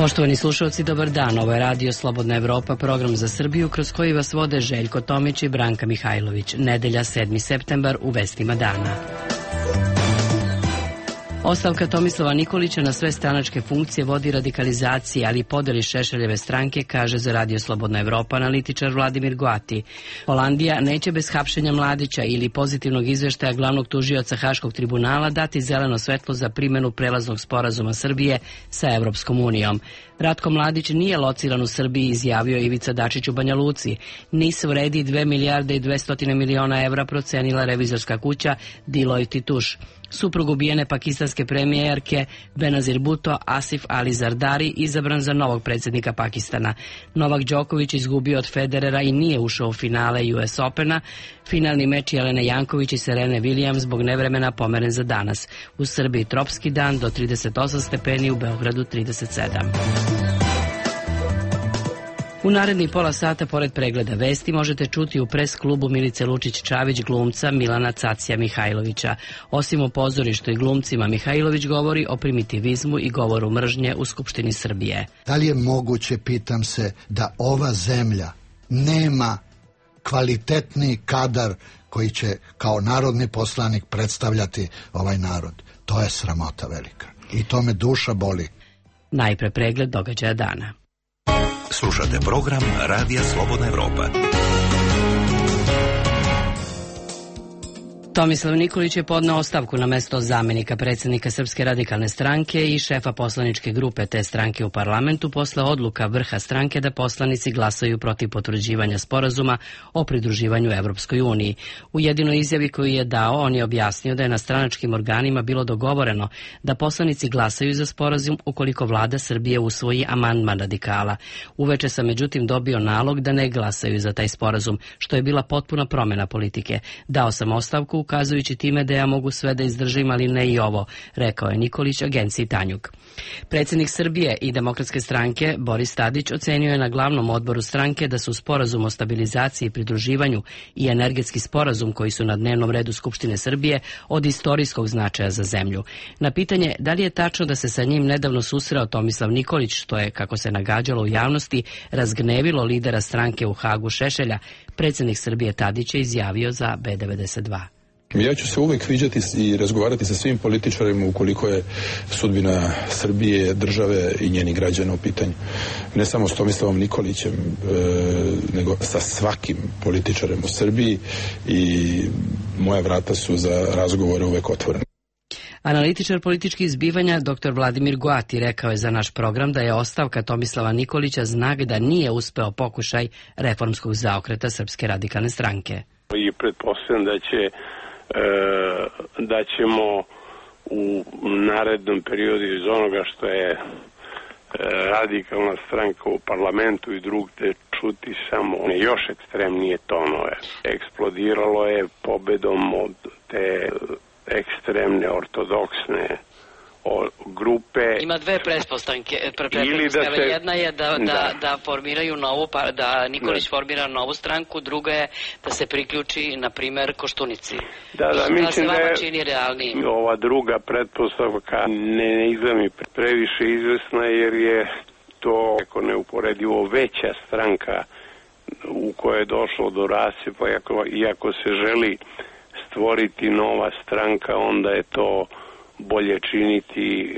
Poštovani slušalci, dobar dan. Ovo je Radio Slobodna Evropa, program za Srbiju kroz koji vas vode Željko Tomić i Branka Mihajlović. Nedelja 7. septembar u vestima dana. Ostavka Tomislava Nikolića na sve stranačke funkcije vodi radikalizaciji, ali i podeli Šešeljeve stranke, kaže za Radio Slobodna Evropa analitičar Vladimir Goati. Holandija neće bez hapšenja Mladića ili pozitivnog izveštaja glavnog tužioca Haškog tribunala dati zeleno svetlo za primjenu prelaznog sporazuma Srbije sa Evropskom unijom. Ratko Mladić nije lociran u Srbiji, izjavio Ivica Dačić u Banja Luci. NIS vredi 2 milijarde i 200 miliona evra, procenila revizorska kuća Deloitte & Touche. Suprug ubijene pakistanske premijerke Benazir Bhutto, Asif Ali Zardari, izabran za novog predsjednika Pakistana. Novak Đoković izgubio od Federera i nije ušao u finale US Opena. Finalni meč Jelene Janković i Serene Williams zbog nevremena pomeren za danas. U Srbiji tropski dan do 38 stepeni, u Beogradu 37. U narednih pola sata, pored pregleda vesti, možete čuti u pres klubu Milice Lučić-Čavić glumca Milana Cacija Mihajlovića. Osim o pozorištu i glumcima, Mihajlović govori o primitivizmu i govoru mržnje u Skupštini Srbije. Da li je moguće, pitam se, da ova zemlja nema kvalitetni kadar koji će kao narodni poslanik predstavljati ovaj narod? To je sramota velika i to me duša boli. Najpre pregled događaja dana. Slušate program Radija Slobodna Evropa. Tomislav Nikolić je podneo ostavku na mesto zamjenika predsjednika Srpske radikalne stranke i šefa poslaničke grupe te stranke u parlamentu posle odluka vrha stranke da poslanici glasaju protiv potvrđivanja sporazuma o pridruživanju Evropskoj uniji. U jedinoj izjavi koju je dao, on je objasnio da je na stranačkim organima bilo dogovoreno da poslanici glasaju za sporazum ukoliko vlada Srbije usvoji amandman radikala. Uveče sam međutim dobio nalog da ne glasaju za taj sporazum, što je bila potpuna promjena politike. Dao sam ostavku ukazujući time da ja mogu sve da izdržim, ali ne i ovo, rekao je Nikolić agenciji Tanjug. Predsjednik Srbije i Demokratske stranke Boris Tadić ocenio je na glavnom odboru stranke da su sporazum o stabilizaciji i pridruživanju i energetski sporazum koji su na dnevnom redu Skupštine Srbije od istorijskog značaja za zemlju. Na pitanje da li je tačno da se sa njim nedavno susreo Tomislav Nikolić, što je, kako se nagađalo u javnosti, razgnevilo lidera stranke u Hagu Šešelja, predsjednik Srbije Tadić je izjavio za B92. Ja ću se uvek viđati i razgovarati sa svim političarima ukoliko je sudbina Srbije, države i njenih građana u pitanju. Ne samo s Tomislavom Nikolićem, nego sa svakim političarem u Srbiji i moja vrata su za razgovore uvek otvorene. Analitičar političkih zbivanja dr. Vladimir Goati rekao je za naš program da je ostavka Tomislava Nikolića znak da nije uspeo pokušaj reformskog zaokreta Srpske radikalne stranke. I pretpostavljam da ćemo u narednom periodu iz onoga što je radikalna stranka u parlamentu i drugde čuti samo još ekstremnije tonove. Eksplodiralo je pobedom od te ekstremne ortodoksne grupe. Ima dve pretpostavke. Jedna je da formiraju novu, da Nikolić formira novu stranku, druga je da se priključi, na primjer, Koštunici. Da, mislim da je čini realniji. Ova druga pretpostavka ne izgleda mi previše izvesna, jer je to neuporedivo veća stranka u kojoj je došlo do rascepa, iako se želi stvoriti nova stranka, onda je to bolje činiti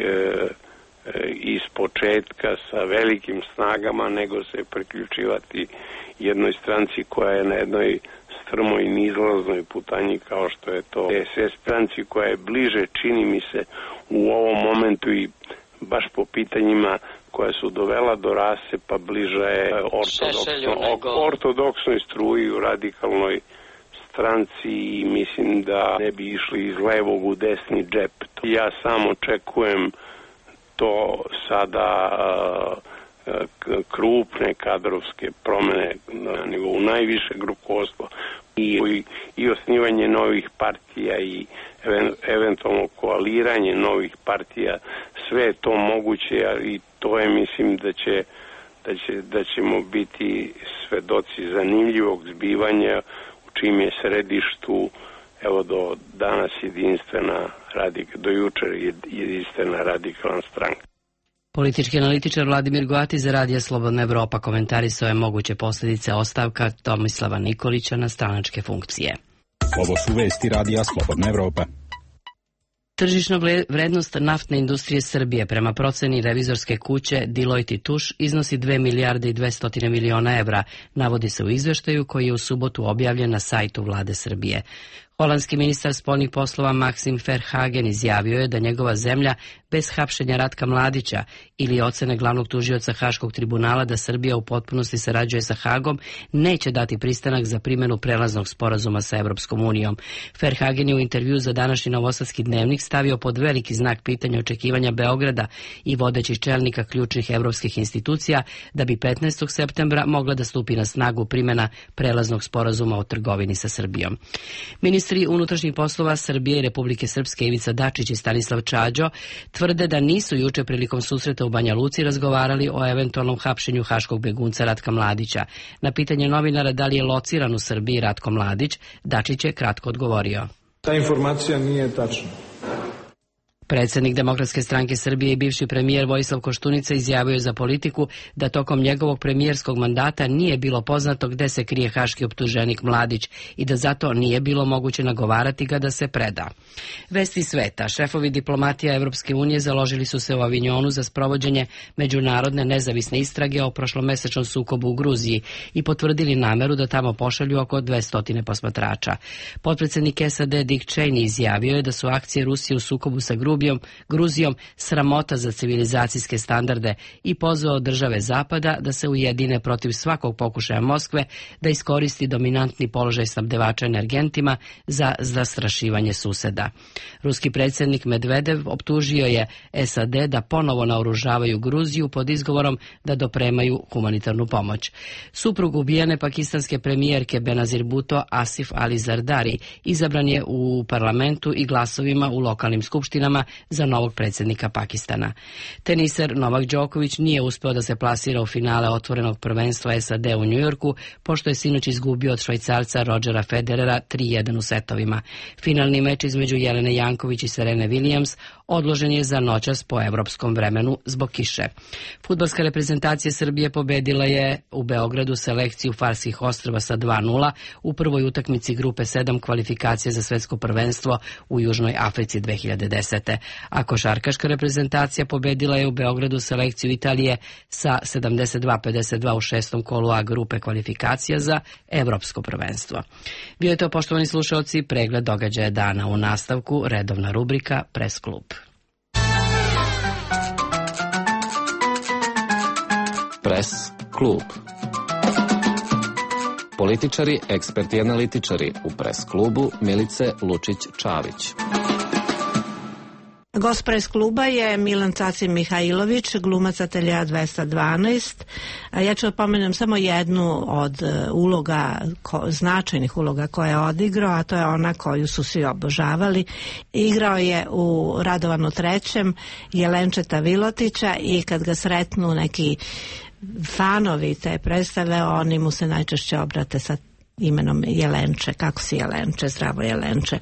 iz početka sa velikim snagama nego se priključivati jednoj stranci koja je na jednoj strmoj i nizlaznoj putanji kao što je to SS stranci koja je bliže, čini mi se, u ovom momentu i baš po pitanjima koja su dovela do rascepa bliže je ortodoksnoj struji u radikalnoj stranci i mislim da ne bi išli iz levog u desni džep. Ja samo očekujem to sada krupne kadrovske promjene na nivou najvišeg rukovodstva i osnivanje novih partija i eventualno koaliranje novih partija. Sve je to moguće i to je, mislim, da ćemo biti svedoci zanimljivog zbivanja čim je središtu, evo do danas do jučer jedinstvena radikalna stranka. Politički analitičar Vladimir Goati za Radija Slobodna Evropa komentarisao je moguće posljedice ostavka Tomislava Nikolića na stranačke funkcije. Ovo su vesti Radija Slobodna Evropa. Tržišna vrednost naftne industrije Srbije prema proceni revizorske kuće Deloitte & Touche iznosi 2 milijarde i 200 miliona evra, navodi se u izveštaju koji je u subotu objavljen na sajtu Vlade Srbije. Holandski ministar spoljnih poslova Maxim Verhagen izjavio je da njegova zemlja bez hapšenja Ratka Mladića ili ocene glavnog tužioca Haškog tribunala da Srbija u potpunosti sarađuje sa Hagom neće dati pristanak za primjenu prelaznog sporazuma sa Evropskom unijom. Verhagen je u intervju za današnji Novosadski dnevnik stavio pod veliki znak pitanja očekivanja Beograda i vodećih čelnika ključnih evropskih institucija da bi 15. septembra mogla da stupi na snagu primjena prelaznog sporazuma o trgovini sa Srbijom. Ministri unutrašnjih poslova Srbije i Republike Srpske Ivica Dačić i Stanislav Čađo tvrde da nisu juče prilikom susreta u Banja Luci razgovarali o eventualnom hapšenju haškog begunca Ratka Mladića. Na pitanje novinara da li je lociran u Srbiji Ratko Mladić, Dačić je kratko odgovorio. Ta informacija nije tačna. Predsjednik Demokratske stranke Srbije i bivši premijer Vojislav Koštunica izjavio je za Politiku da tokom njegovog premijerskog mandata nije bilo poznato gde se krije haški optuženik Mladić i da zato nije bilo moguće nagovarati ga da se preda. Vesti sveta. Šefovi diplomatija Evropske unije založili su se u Avignonu za sprovođenje međunarodne nezavisne istrage o prošlomesečnom sukobu u Gruziji i potvrdili nameru da tamo pošalju oko 200 posmatrača. Potpredsjednik SAD Dick Cheney izjavio je da su akcije Rusije u sukobu sa Gruzijom sramota za civilizacijske standarde i pozvao države Zapada da se ujedine protiv svakog pokušaja Moskve da iskoristi dominantni položaj snabdevača energentima za zastrašivanje suseda. Ruski predsjednik Medvedev optužio je SAD da ponovo naoružavaju Gruziju pod izgovorom da dopremaju humanitarnu pomoć. Suprug ubijene pakistanske premijerke Benazir Bhutto Asif Ali Zardari izabran je u parlamentu i glasovima u lokalnim skupštinama za novog predsjednika Pakistana. Teniser Novak Đoković nije uspeo da se plasira u finale otvorenog prvenstva SAD u Njujorku, pošto je sinoć izgubio od Švajcarca Rodgera Federera 3-1 u setovima. Finalni meč između Jelene Janković i Serene Williams odložen je za noćas po evropskom vremenu zbog kiše. Fudbalska reprezentacija Srbije pobedila je u Beogradu selekciju Farskih ostrva sa 2-0 u prvoj utakmici grupe 7 kvalifikacije za svetsko prvenstvo u Južnoj Africi 2010. A košarkaška reprezentacija pobedila je u Beogradu selekciju Italije sa 72-52 u šestom kolu A grupe kvalifikacija za evropsko prvenstvo. Bio je to, poštovani slušalci, pregled događaja dana. U nastavku redovna rubrika Pres klub. Pres klub. Političari, eksperti i analitičari u Pres klubu Milice Lučić-Čavić. Gost Pres kluba je Milan Cacin Mihajlović, glumac Ateljea 212. Ja ću pomenem samo jednu od uloga, značajnih uloga koje je odigrao, a to je ona koju su svi obožavali. Igrao je u Radovanu III. Jelenčeta Vilotića i kad ga sretnu neki fanovi te predstave, oni mu se najčešće obrate sa imenom Jelenče. Kako si Jelenče? Zdravo Jelenče.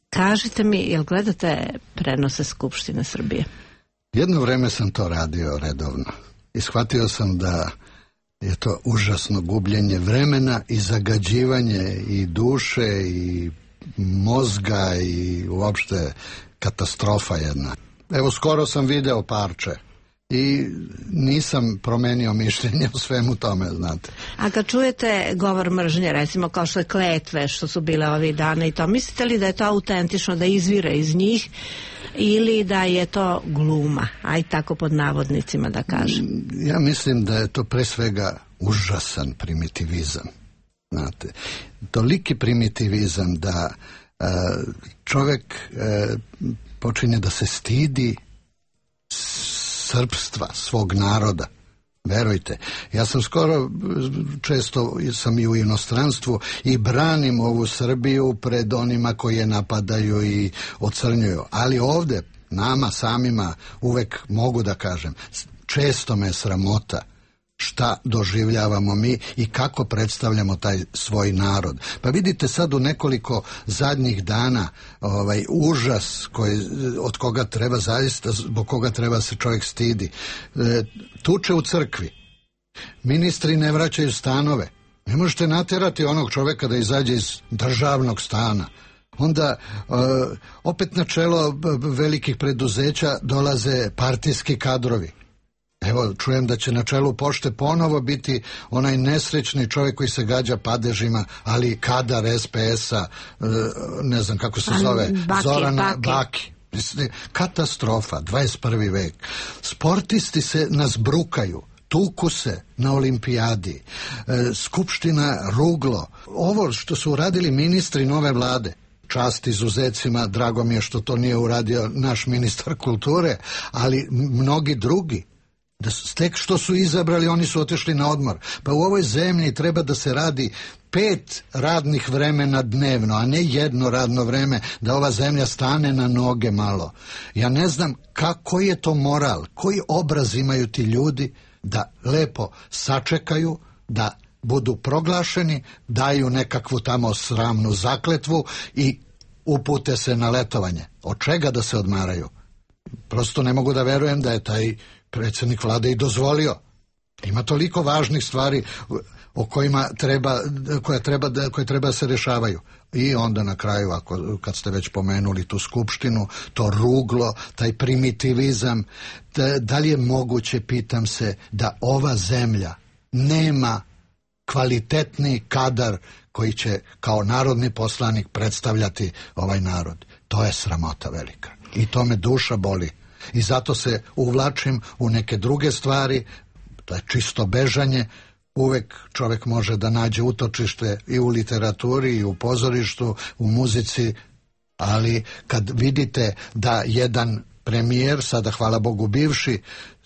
Kažite mi, jel gledate prenose Skupštine Srbije? Jedno vreme sam to radio redovno i shvatio sam da je to užasno gubljenje vremena i zagađivanje i duše i mozga i uopšte katastrofa jedna. Evo, skoro sam video parče i nisam promenio mišljenje o svemu tome, znate. A kad čujete govor mržnje, recimo kao što je kletve što su bile ovih dana i to, mislite li da je to autentično, da izvire iz njih ili da je to gluma, aj tako pod navodnicima da kažem? Ja mislim da je to pre svega užasan primitivizam, znate. Toliki primitivizam da čovjek počinje da se stidi srpstva, svog naroda. Verujte, ja sam skoro, često sam i u inostranstvu i branim ovu Srbiju pred onima koji je napadaju i ocrnjuju. Ali ovde, nama samima, uvek mogu da kažem, često me sramota šta doživljavamo mi i kako predstavljamo taj svoj narod. Pa vidite sad u nekoliko zadnjih dana užas od koga treba zaista, zbog koga treba se čovjek stidi. Tuče u crkvi. Ministri ne vraćaju stanove. Ne možete natjerati onog čovjeka da izađe iz državnog stana. Onda opet na čelo velikih preduzeća dolaze partijski kadrovi. Evo, čujem da će na čelu pošte ponovo biti onaj nesrećni čovjek koji se gađa padežima, ali kadar SPS-a, ne znam kako se zove, Zorana Baki. Katastrofa, 21. vek. Sportisti se nas brukaju, tuku se na olimpijadi, skupština ruglo. Ovo što su uradili ministri nove vlade, čast izuzecima, drago mi je što to nije uradio naš ministar kulture, ali mnogi drugi. Da tek što su izabrali, oni su otišli na odmor. Pa u ovoj zemlji treba da se radi 5 radnih vremena dnevno, a ne jedno radno vreme, da ova zemlja stane na noge malo. Ja ne znam koji je to moral, koji obraz imaju ti ljudi da lepo sačekaju, da budu proglašeni, daju nekakvu tamo sramnu zakletvu i upute se na letovanje. Od čega da se odmaraju? Prosto ne mogu da verujem da je taj predsjednik vlade i dozvolio. Ima toliko važnih stvari o kojima koje treba se rješavaju. I onda na kraju, kad ste već pomenuli tu skupštinu, to ruglo, taj primitivizam, da li je moguće, pitam se, da ova zemlja nema kvalitetni kadar koji će kao narodni poslanik predstavljati ovaj narod. To je sramota velika. I to me duša boli. I zato se uvlačim u neke druge stvari, to je čisto bežanje. Uvek čovjek može da nađe utočište i u literaturi, i u pozorištu, u muzici, ali kad vidite da jedan premijer, sada hvala Bogu bivši,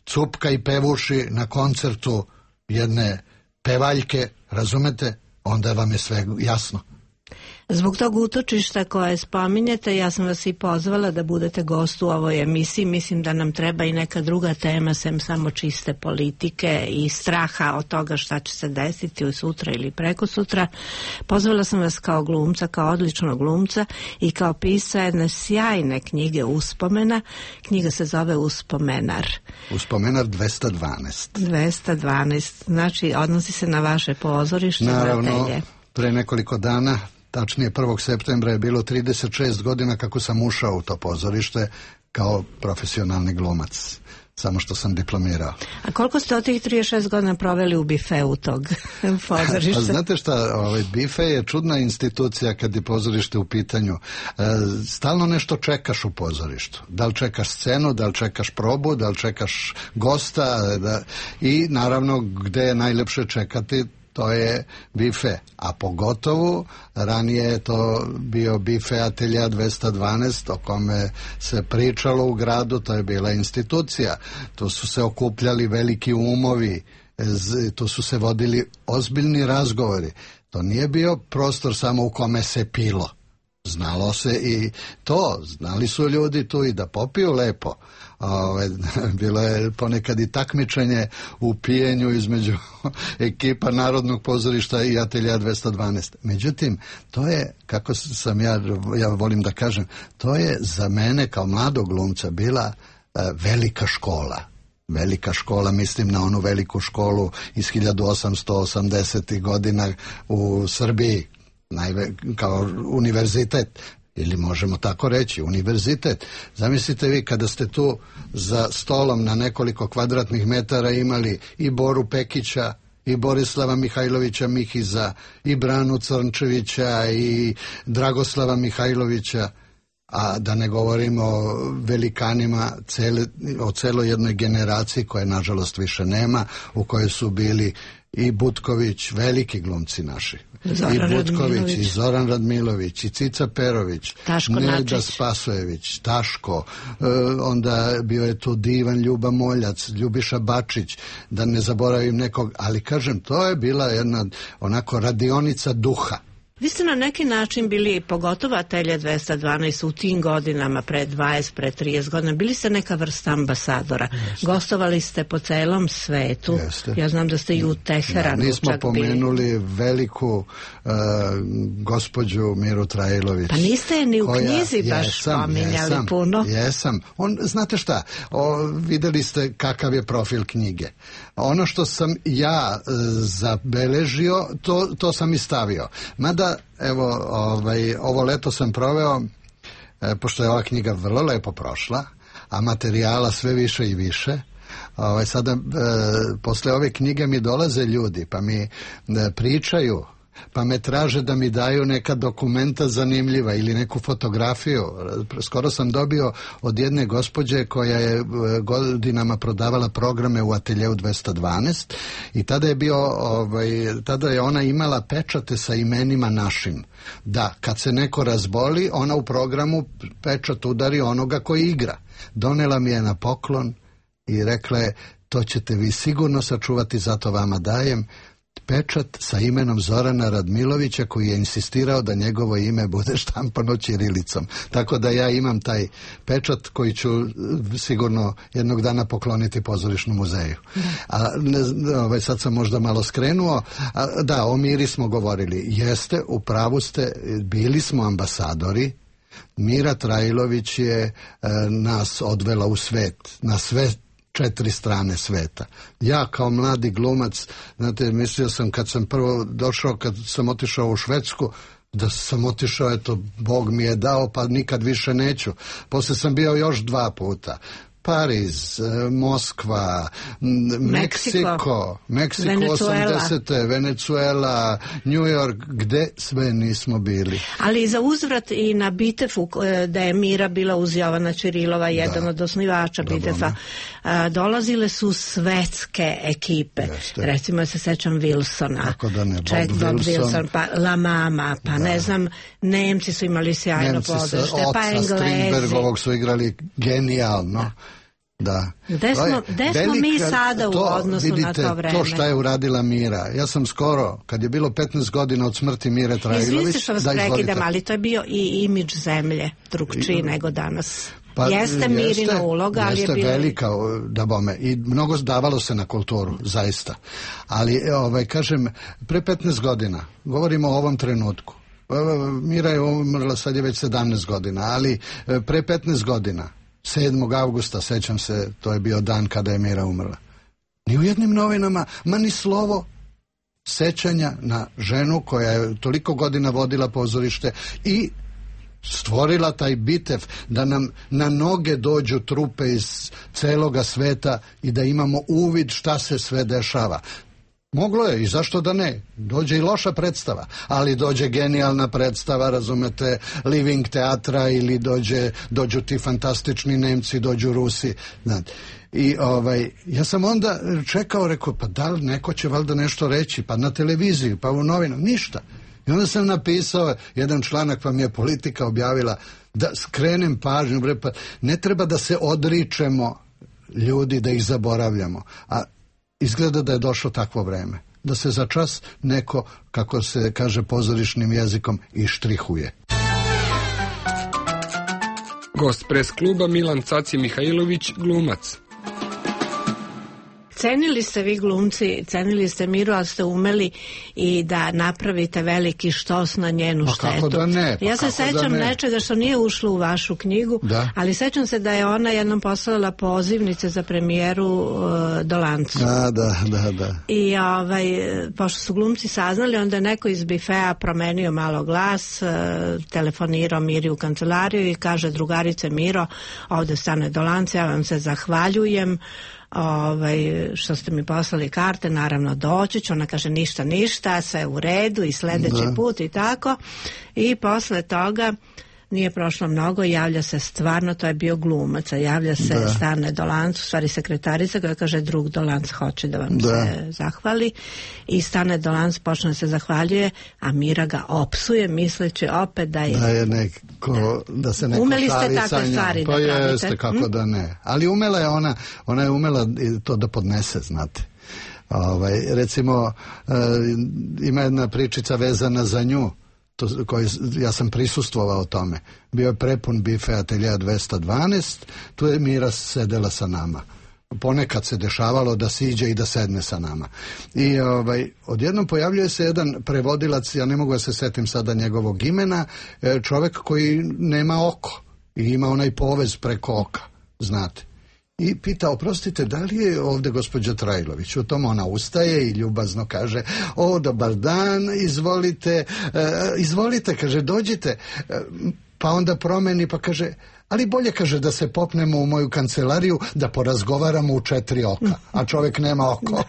cupka i pevuši na koncertu jedne pevaljke, razumete, onda vam je sve jasno. Zbog tog utočišta koje spominjete, ja sam vas i pozvala da budete gost u ovoj emisiji. Mislim da nam treba i neka druga tema, sem samo čiste politike i straha od toga šta će se desiti sutra ili preko sutra. Pozvala sam vas kao glumca, kao odličnog glumca i kao pisca jedne sjajne knjige uspomena. Knjiga se zove Uspomenar. Uspomenar 212. 212, znači odnosi se na vaše pozorište. Naravno, pre nekoliko dana, tačnije 1. septembra je bilo 36 godina kako sam ušao u to pozorište kao profesionalni glumac. Samo što sam diplomirao. A koliko ste od tih 36 godina proveli u bifeu tog pozorišta? Pa znate šta, bife je čudna institucija kad je pozorište u pitanju. Stalno nešto čekaš u pozorištu. Da li čekaš scenu, da li čekaš probu, da li čekaš gosta i naravno gde je najlepše čekati, to je bife, a pogotovo ranije je to bio bife Atelja 212 o kome se pričalo u gradu, to je bila institucija, tu su se okupljali veliki umovi, tu su se vodili ozbiljni razgovori, to nije bio prostor samo u kome se pilo, znalo se i to, znali su ljudi tu i da popiju lepo. Bilo je ponekad i takmičenje u pijenju između ekipa Narodnog pozorišta i Atelja 212. Međutim, to je, kako sam ja volim da kažem, to je za mene kao mladog glumca bila velika škola. Velika škola, mislim na onu veliku školu iz 1880. godina u Srbiji, kao univerzitet. Ili možemo tako reći, univerzitet. Zamislite vi kada ste tu za stolom na nekoliko kvadratnih metara imali i Boru Pekića, i Borislava Mihajlovića Mihiza, i Branu Crnčevića, i Dragoslava Mihajlovića, a da ne govorimo o velikanima, o celoj jednoj generaciji koje nažalost više nema, u kojoj su bili i Butković, veliki glumci naši. I Butković, i Zoran Radmilović, i Cica Perović, Nelda Spasojević, Taško, onda bio je tu divan Ljuba Moljac, Ljubiša Bačić, da ne zaboravim nekog, ali kažem, to je bila jedna onako radionica duha. Vi ste na neki način bili, pogotovo Atelje 212 u tim godinama, pre 20, pre 30 godina, bili ste neka vrsta ambasadora. Jeste. Gostovali ste po celom svetu. Jeste. Ja znam da ste i u Teheranu nismo čak pomenuli bili. Veliku gospođu Miru Trajlović. Pa niste je ni u knjizi baš pominjali puno. Jesam. Znate šta, videli ste kakav je profil knjige. Ono što sam ja zabeležio, to sam i stavio. Mada, evo, ovo leto sam proveo, pošto je ova knjiga vrlo lepo prošla, a materijala sve više i više. Sada, posle ove knjige mi dolaze ljudi, pa mi pričaju, pa me traže da mi daju neka dokumenta zanimljiva ili neku fotografiju. Skoro sam dobio od jedne gospođe koja je godinama prodavala programe u Ateljeu 212 i tada je ona imala pečate sa imenima našim. Da, kad se neko razboli, ona u programu pečat udari onoga koji igra. Donela mi je na poklon i rekla je, to ćete vi sigurno sačuvati, zato vama dajem pečat sa imenom Zorana Radmilovića, koji je insistirao da njegovo ime bude štampano ćirilicom. Tako da ja imam taj pečat koji ću sigurno jednog dana pokloniti pozorišnom muzeju. Sad sam možda malo skrenuo. Da, o Miri smo govorili. Jeste, u pravu ste, bili smo ambasadori. Mira Trajlović je nas odvela u svet, na sve 4 strane sveta. Ja kao mladi glumac, znate, mislio sam kad sam prvo došao, kad sam otišao u Švedsku, da sam otišao, eto, Bog mi je dao, pa nikad više neću. Posle sam bio još 2 puta. Pariz, Moskva, Meksiko 80. Venezuela, New York, gde sve nismo bili. Ali za uzvrat i na Bitefu, da je Mira bila uz Jovana Čirilova, jedan od osnivača Bitefa, dolazile su svetske ekipe. Jeste. Recimo, se sećam Wilsona, Bob Wilson, pa La Mama, pa ne znam, Nemci su imali sjajno pozorište, pa Englezi. Strindbergovog su igrali genijalno. Da. Gde smo mi sada u odnosu na to vreme? To šta je uradila Mira. Ja sam skoro, kad je bilo 15 godina od smrti Mire Trajlović... Izvinite što vas prekidam, ali to je bio i imidž zemlje drugčiji nego danas. Pa, jeste Mirina uloga, ali je bila... velika, da bome, i mnogo davalo se na kulturu, zaista. Ali, kažem, pre 15 godina, govorimo o ovom trenutku, Mira je umrla, sad je već 17 godina, ali pre 15 godina, 7. avgusta, sećam se, to je bio dan kada je Mira umrla. Ni u jednim novinama, ma ni slovo sećanja na ženu koja je toliko godina vodila pozorište i stvorila taj Bitev, da nam na noge dođu trupe iz celoga sveta i da imamo uvid šta se sve dešava. Moglo je, i zašto da ne? Dođe i loša predstava, ali dođe genijalna predstava, razumete, Living teatra, ili dođu ti fantastični Nemci, dođu Rusi. Znate. I ja sam onda čekao, rekao, pa da li neko će valjda nešto reći, pa na televiziji, pa u novinama, ništa. I onda sam napisao jedan članak, pa mi je Politika objavila da skrenem pažnju, pa ne treba da se odričemo ljudi, da ih zaboravljamo, a izgleda da je došlo takvo vreme, da se za čas neko, kako se kaže pozorišnim jezikom, ištrihuje. Gost pres kluba Milan Caci Mihajlović, glumac. Cenili ste vi glumci, cenili ste Miru, ali ste umeli i da napravite veliki štos na njenu štetu. Kako da ne? Ja se sećam nečega što nije ušlo u vašu knjigu, ali sećam se da je ona jednom poslala pozivnice za premijeru Dolancu. Da. I pošto su glumci saznali, onda je neko iz bifea promenio malo glas, telefonirao Miri u kancelariju i kaže: drugarice Miro, ovde stane Dolanc, ja vam se zahvaljujem što ste mi poslali karte, naravno doći ću. Ona kaže ništa, sve u redu i sledeći put i tako. I posle toga nije prošlo mnogo, javlja se stvarno, to je bio glumac, javlja se Stane Dolanc, u stvari sekretarica, koja kaže: drug Dolanc hoće da vam se zahvali. I Stane Dolanc počne se zahvaljuje, a Mira ga opsuje, misleći opet da je da se neko umeli šali ste takve stvari pa da pravite. Jeste, kako da ne. Ali umela je ona je umela to da podnese, znate. Recimo, ima jedna pričica vezana za nju. ja sam prisustvovao tome. Bio je prepun bife Ateljea 212, tu je Mira sedela sa nama. Ponekad se dešavalo da siđe i da sedne sa nama. I odjednom pojavljuje se jedan prevodilac, ja ne mogu da se setim sada njegovog imena, čovek koji nema oko i ima onaj povez preko oka, znate. I pita, oprostite, da li je ovde gospođa Trajlović? U tom ona ustaje i ljubazno kaže, dobar dan, izvolite, kaže, dođite. Pa onda promeni pa kaže, ali bolje, kaže, da se popnemo u moju kancelariju da porazgovaramo u 4 oka, a čovjek nema oko.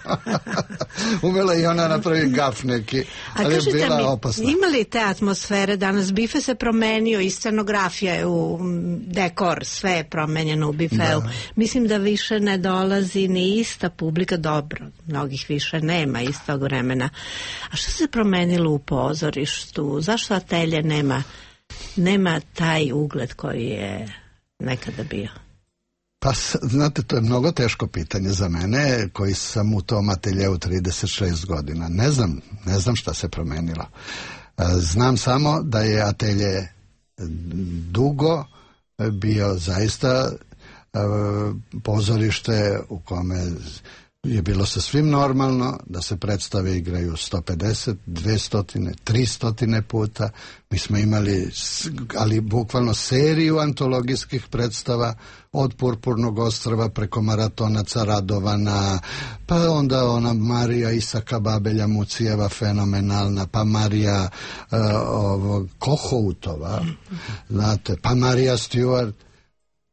Umela i ona napravi gaf neki, ali je bila opasna. Ima li te atmosfere danas? Bife se promenio i scenografija je u dekor, sve je promenjeno u bifeu. Da. Mislim da više ne dolazi ni ista publika, dobro, mnogih više nema istog vremena. A što se promenilo u pozorištu? Zašto Atelje nema taj ugled koji je nekada bio? Pa, znate, to je mnogo teško pitanje za mene, koji sam u tom ateljeu 36 godina. Ne znam šta se promenilo. Znam samo da je Atelje dugo bio zaista pozorište u kome je bilo sasvim normalno da se predstave igraju 150, 200, 300 puta. Mi smo imali, ali bukvalno seriju antologijskih predstava od Purpurnog ostrva preko Maratonaca Radovana, pa onda ona Marija Isaka Babelja Mucijeva fenomenalna, pa Marija Kohoutova, znate, pa Marija Stewart,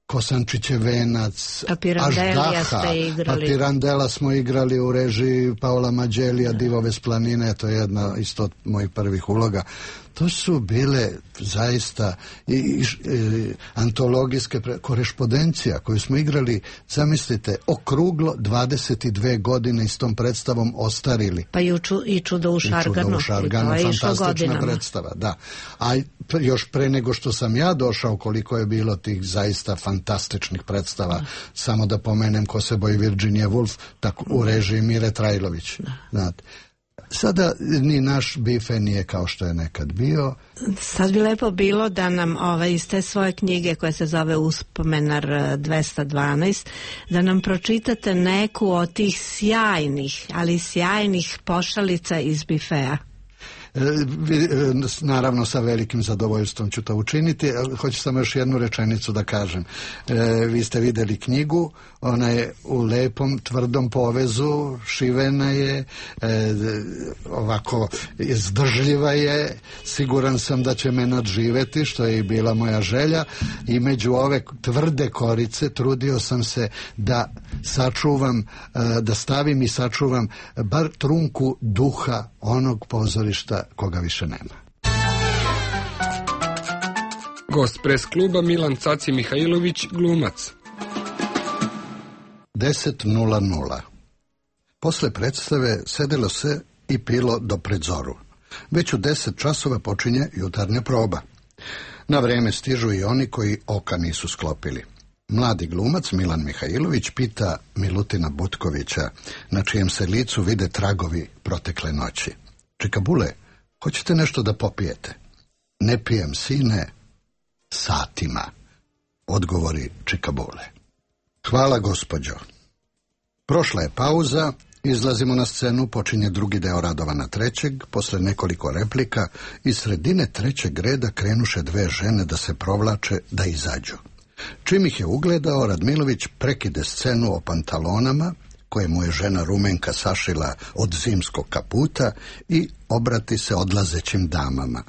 Kosančićev venac, Aždaha, pa Pirandela smo igrali u režiji Paola Mađelija, Divove s planine, to je jedna isto od mojih prvih uloga. To su bile zaista antologijske korespondencija koju smo igrali, zamislite, okruglo 22 godine i s tom predstavom ostarili. Pa i Čudo u Šarganu. Fantastična predstava, da. A još pre nego što sam ja došao, koliko je bilo tih zaista fantastičnih predstava, samo da pomenem Kosebo i Virginia Woolf, tako u režiji Mire Trajlović. Znate. Sada ni naš bife nije kao što je nekad bio. Sad bi lepo bilo da nam iz te svoje knjige koja se zove Uspomenar 212, da nam pročitate neku od tih sjajnih pošalica iz bifea. Naravno, sa velikim zadovoljstvom ću to učiniti. Hoću samo još jednu rečenicu da kažem. Vi ste videli knjigu, ona je u lepom, tvrdom povezu, šivena je, ovako izdržljiva je, siguran sam da će me nadživeti, što je i bila moja želja, i među ove tvrde korice trudio sam se da sačuvam, da stavim i sačuvam bar trunku duha onog pozorišta koga više nema. Gost pres kluba Milan Caci Mihajlović, glumac. 10:00. Posle predstave sedelo se i pilo do predzoru. Već u 10 časova počinje jutarnja proba. Na vreme stižu i oni koji oka nisu sklopili. Mladi glumac Milan Mihajlović pita Milutina Butkovića, na čijem se licu vide tragovi protekle noći: Čikabule, hoćete nešto da popijete? Ne pijem, sine, satima, odgovori Čikabule. Hvala, gospođo. Prošla je pauza, izlazimo na scenu, počinje drugi deo Radovana III. Posle nekoliko replika iz sredine trećeg reda krenuše 2 žene da se provlače, da izađu. Čim ih je ugledao, Radmilović prekide scenu o pantalonama, koje mu je žena Rumenka sašila od zimskog kaputa, i obrati se odlazećim damama.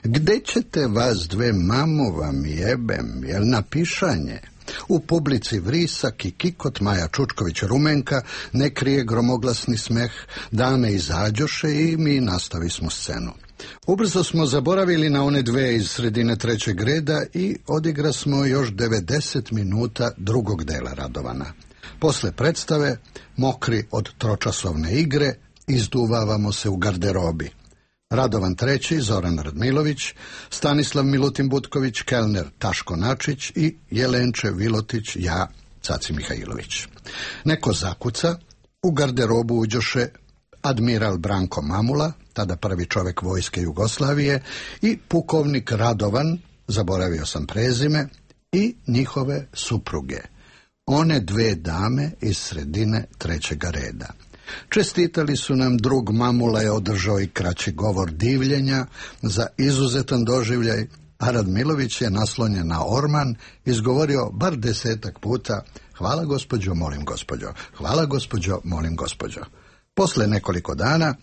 Gde ćete vas 2, mamu vam jebem, jel na pišanje? U publici vrisak i kikot, Maja Čučković Rumenka ne krije gromoglasni smeh, dame izađoše i mi nastavismo scenu. Ubrzo smo zaboravili na one 2 iz sredine trećeg reda i odigra smo još 90 minuta drugog dela Radovana. Posle predstave, mokri od tročasovne igre, izduvavamo se u garderobi. Radovan III, Zoran Radmilović, Stanislav Milutin Butković, kelner Taško Načić i Jelenče Vilotić, ja, Caci Mihajlović. Neko zakuca, u garderobu uđoše admiral Branko Mamula, tada prvi čovjek vojske Jugoslavije, i pukovnik Radovan, zaboravio sam prezime, i njihove supruge, one dve dame iz sredine trećega reda. Čestitali su nam, drug Mamula je održao i kraći govor divljenja za izuzetan doživljaj, a Radmilović je naslonjen na orman izgovorio bar 10 puta: hvala gospođo, molim gospođo, hvala gospođo, molim gospođo. Posle nekoliko dana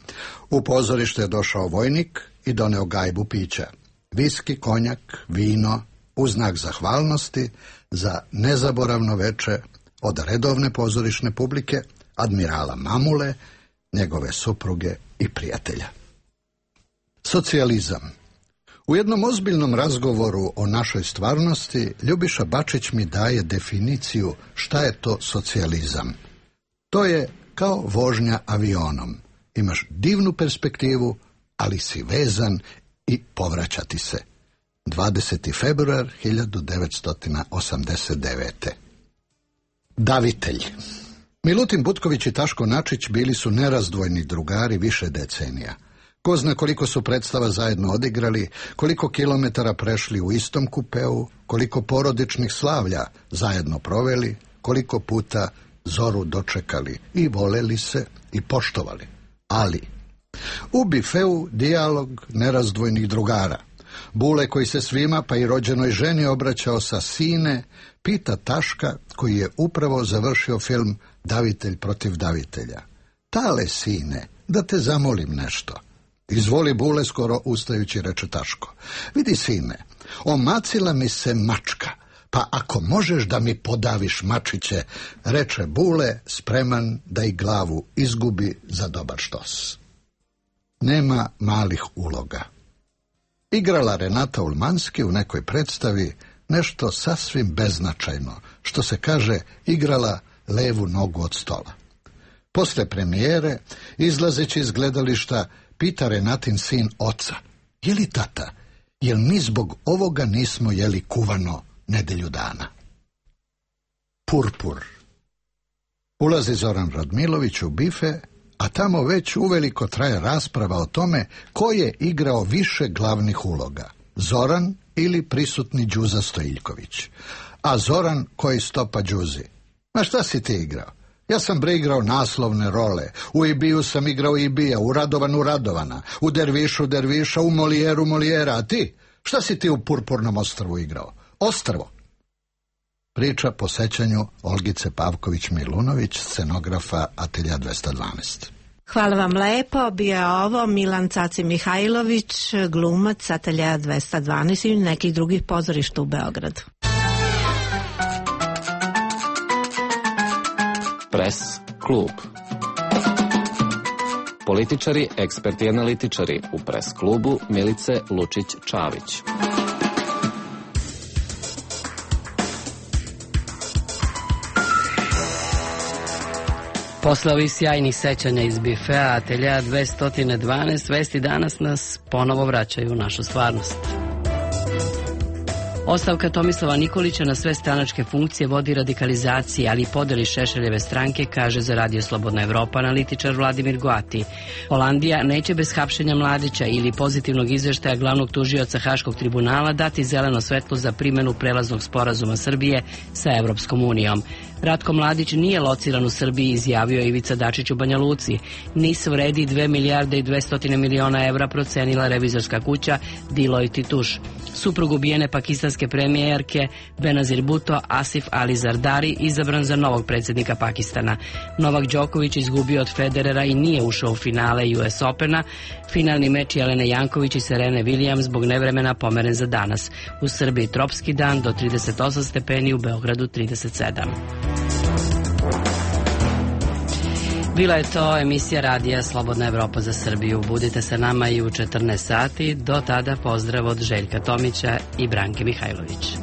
u pozorište je došao vojnik i doneo gajbu pića, viski, konjak, vino, u znak zahvalnosti za nezaboravno veče od redovne pozorišne publike, admirala Mamule, njegove supruge i prijatelja. Socijalizam. U jednom ozbiljnom razgovoru o našoj stvarnosti Ljubiša Bačić mi daje definiciju šta je to socijalizam. To je kao vožnja avionom. Imaš divnu perspektivu, ali si vezan i povraćati se. 20. februar 1989. Davitelj. Milutin Butković i Taško Načić bili su nerazdvojni drugari više decenija. Ko zna koliko su predstava zajedno odigrali, koliko kilometara prešli u istom kupeu, koliko porodičnih slavlja zajedno proveli, koliko puta zoru dočekali i voleli se i poštovali. Ali u bifeu dijalog nerazdvojnih drugara. Bule, koji se svima, pa i rođenoj ženi, obraćao sa sine, pita Taška, koji je upravo završio film Davitelj protiv davitelja: tale, sine, da te zamolim nešto. Izvoli, Bule, skoro ustajući, reče Taško. Vidi, sine, omacila mi se mačka, pa ako možeš da mi podaviš mačiće, reče Bule, spreman da i glavu izgubi za dobar štos. Nema malih uloga. Igrala Renata Ulmanski u nekoj predstavi nešto sasvim beznačajno, što se kaže, igrala levu nogu od stola. Posle premijere, izlazeći iz gledališta, pita Renatin sin oca: je li, tata, jel mi zbog ovoga nismo jeli kuvano nedelju dana? Purpur. Ulazi Zoran Radmilović u bife, a tamo već uveliko traje rasprava o tome ko je igrao više glavnih uloga, Zoran ili prisutni Đuza Stojiljković. A Zoran koji stopa Đuzi: ma šta si ti igrao? Ja sam igrao naslovne role. U Ibiju sam igrao Ibija, u Radovanu Radovana, u Dervišu Derviša, u Molijeru Molijera. A ti? Šta si ti u Purpurnom ostrvu igrao? Ostrvo. Priča po sećanju Olgice Pavković-Milunović, scenografa Atelja 212. Hvala vam lepo. Bio je ovo Milan Caci Mihajlović, glumac Atelja 212 i nekih drugih pozorišta u Beogradu. Pres klub. Političari, eksperti i analitičari u Pres klubu Milice Lučić-Čavić. Posle ovih sjajnih sećanja iz bifea Atelja 212, vesti danas nas ponovo vraćaju u našu stvarnost. Ostavka Tomislava Nikolića na sve stranačke funkcije vodi radikalizaciji, ali i podeli Šešeljeve stranke, kaže za Radio Slobodna Evropa analitičar Vladimir Goati. Holandija neće bez hapšenja Mladića ili pozitivnog izveštaja glavnog tužioca Haškog tribunala dati zeleno svetlo za primjenu prelaznog sporazuma Srbije sa Evropskom unijom. Ratko Mladić nije lociran u Srbiji, izjavio je Ivica Dačić u Banja Luci. NIS vredi 2 milijarde i 200 miliona evra, procenila revizorska kuća Deloitte & Touche. Suprug ubijene pakistanske premijerke Benazir Bhutto, Asif Ali Zardari, izabran za novog predsjednika Pakistana. Novak Đoković izgubio od Federera i nije ušao u finale US Opena. Finalni meč Jelene Janković i Serene Williams zbog nevremena pomeren za danas. U Srbiji tropski dan do 38 stepeni, u Beogradu 37. Bila je to emisija Radija Slobodna Evropa za Srbiju. Budite sa nama i u 14 sati. Do tada pozdrav od Željka Tomića i Branke Mihajlović.